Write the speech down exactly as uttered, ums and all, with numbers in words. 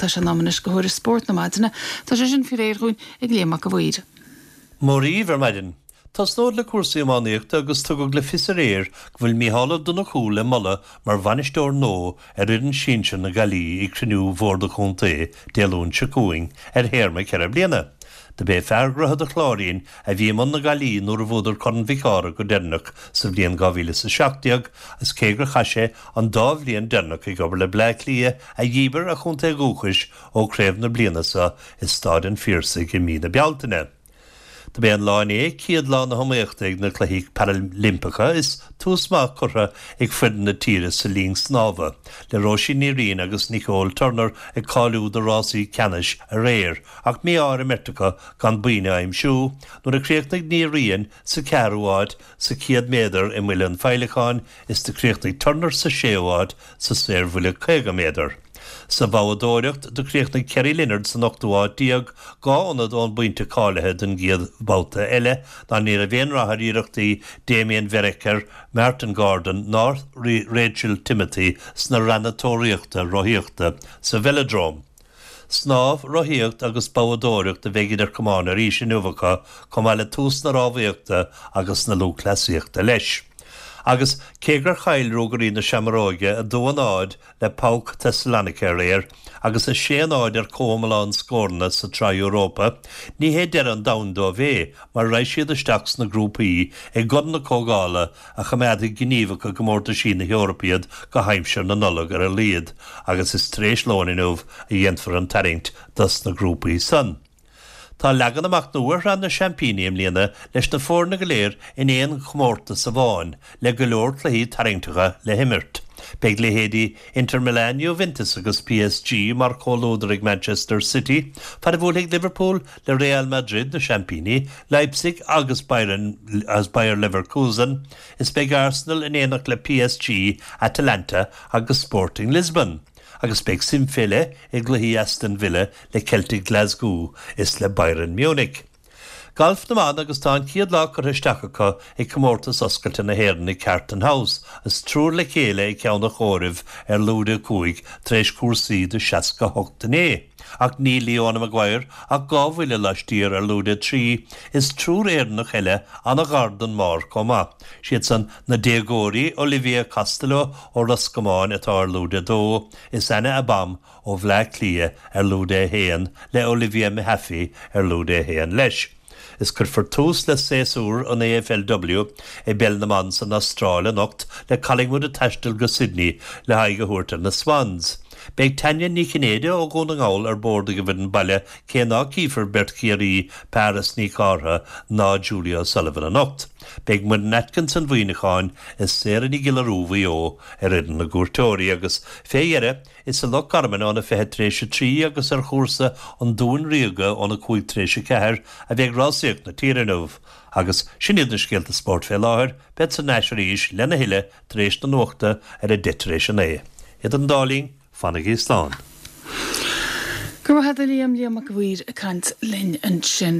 Tá sé in am anois do thuairisc spóirt na maidine, Tá sé sin faoi réir dhúinn ag Liam Mac a' Mhaoir. Móríomh ar maidin. Tosnód le cúrsaí iománaíochta agus tugadh le fios aréir go bhfuil Mícheál Ó Donnchú le moladh mar bhainisteoir nua ar fhoireann sinsir na Gaillimhe ag cruinniú Bhord an Chontae Dé Luain seo chugainn ar théarma ceithre bliana. Do b'é fear Dhroichead an Chláirín a bhí i mbun na Gaillimhe nuair a bhuadar Corn Mhic Ádhaimh go deireanach sa bhliain dhá mhíle is a seacht déag agus cé gur chaith sé an dá bhliain deireanach ag obair le Bleá Cliath a dhíbir a chontae dhúchais ó chraobh na bliana seo i Staid an Phiarsaigh i mí na Bealtaine. Do b'é an lá inné céad lá na hiomaíochta ag na Cluichí Parailimpeacha is tús maith curtha ag foireann na tíre sa linn snámha, le Róisín Ní Riain agus Nicole Turner ag cáiliú do rásaí ceannais aréir, ach mí-ádh ar an mbeirt acu gan boinn a aimsiú, nuair a chríochnaigh Ní Riain sa ceathrú háit sa céad méadar i mbuille an féileacáin is do chríochnaigh Turner sa séú háit sa saorbhuille caoga méadar. Sa bhabhadóireacht, do chríochnaigh Kerry Leonard san ochtú háit déag, dhá ionad ón bpointe cáilithe don gcéad bhabhta eile, ná ní raibh aon rath ar iarrachtaí Damien Vereker, Martin Gordon ná Rachel Timothy sna ranna tóraíochta rothaíochta sa Velodrome. Snámh, rothaíocht agus boghdóireacht a bheidh idir camáin arís inniu acu, chomh maith le tús na rámhaíochta agus na lúthchleasaíochta leis. Agus cé gur chaill Ruagairí na Seamróige a dó a náid le PAOK Thessaloniki aréir agus a sé a náid ar chomhiomlán scóranna sa tSraith Europa, ní hé deireadh an domhain dóibh é mar raghaidh siad isteach sna grúpaí i gCorn na Comhdhála a choimeádfaidh gníomhach i gcomórtaisí na hEorpa iad go haimsir na Nollag ar a laghad agus is tar éis lóin inniu a dhéanfar an tarraingt dos na grúpaí san. Tá leagan amach nua ar Shraith na Seaimpíní i mbliana leis na foirne go léir in aon chomórtas amháin, le go leor cluichí tarraingteacha le himirt. Beidh leithéidí Inter Milan, Juventus agus PSG mar chomhluadar ag Manchester City, fad a bhuailfidh Liverpool le Real Madrid, na seaimpíní, Leipzig agus Bayern as Bayer Leverkusen, is beidh Arsenal in éineacht le PSG, Atalanta agus Sporting Lisbon. Agus beidh suim fé leith i gcluichí Aston Villa le Celtic Glasgow is le Bayern Munich. Galf na mban agus tá an chéad lá curtha isteach acu ag Comórtas Oscailte na hÉireann i Carton House is triúr le chéile ag ceann an chomhairimh ar lúide a cúig tar éis cúrsaí de seasca hocht inné. Ach níl Leona Maguire ach dhá bhuille laistiar ar lúide a trí is triúr Éireannach eile an-ghar don mbarr chomh maith. Siad san na déagóirí Olivia Costello ó Ros Comáin atá ar lúide a dó, is Anna Abam ó Bhleá Cliath ar lúide a haon le Olivia Mehaffey ar lúide a haon leis. Is cuirfear tús le séasúr an AFLW i bpeil na mban san Astráil anocht le Collingwood ag taisteal go Sydney le haghaidh a thabhairt ar na Swans. Beidh Tanya Ní Chinnéide ó Dhún na nGall ar bord ag an bhfoireann baile cé ná cífear beirt Chiarraí, Paris Ní Chártha ná Julia O'Sullivan anocht. Beidh Muireann Atkinson Mhuineacháin is Sarah Ní Ghiolla Rua Mhaigh Eo ar fhoireann na gcuairteoirí agus fé dheireadh is i Loch Garman óna fiche tar éis a trí agus ar chúrsa an Dúin Ríoga óna cúig tar éis a ceathair a bheidh rásaíocht na tíre inniu. Agus sin iad na scéalta spóirt fé láthair, bead thar n-ais arís lena thuilleadh tar éis na nuachta ar a deich tar éis a naoi. Idir an dá linn, fanaigí slán. Go raibh maith agat a Liam, Liam Mac a' Mhaoir ag caint linn ansin.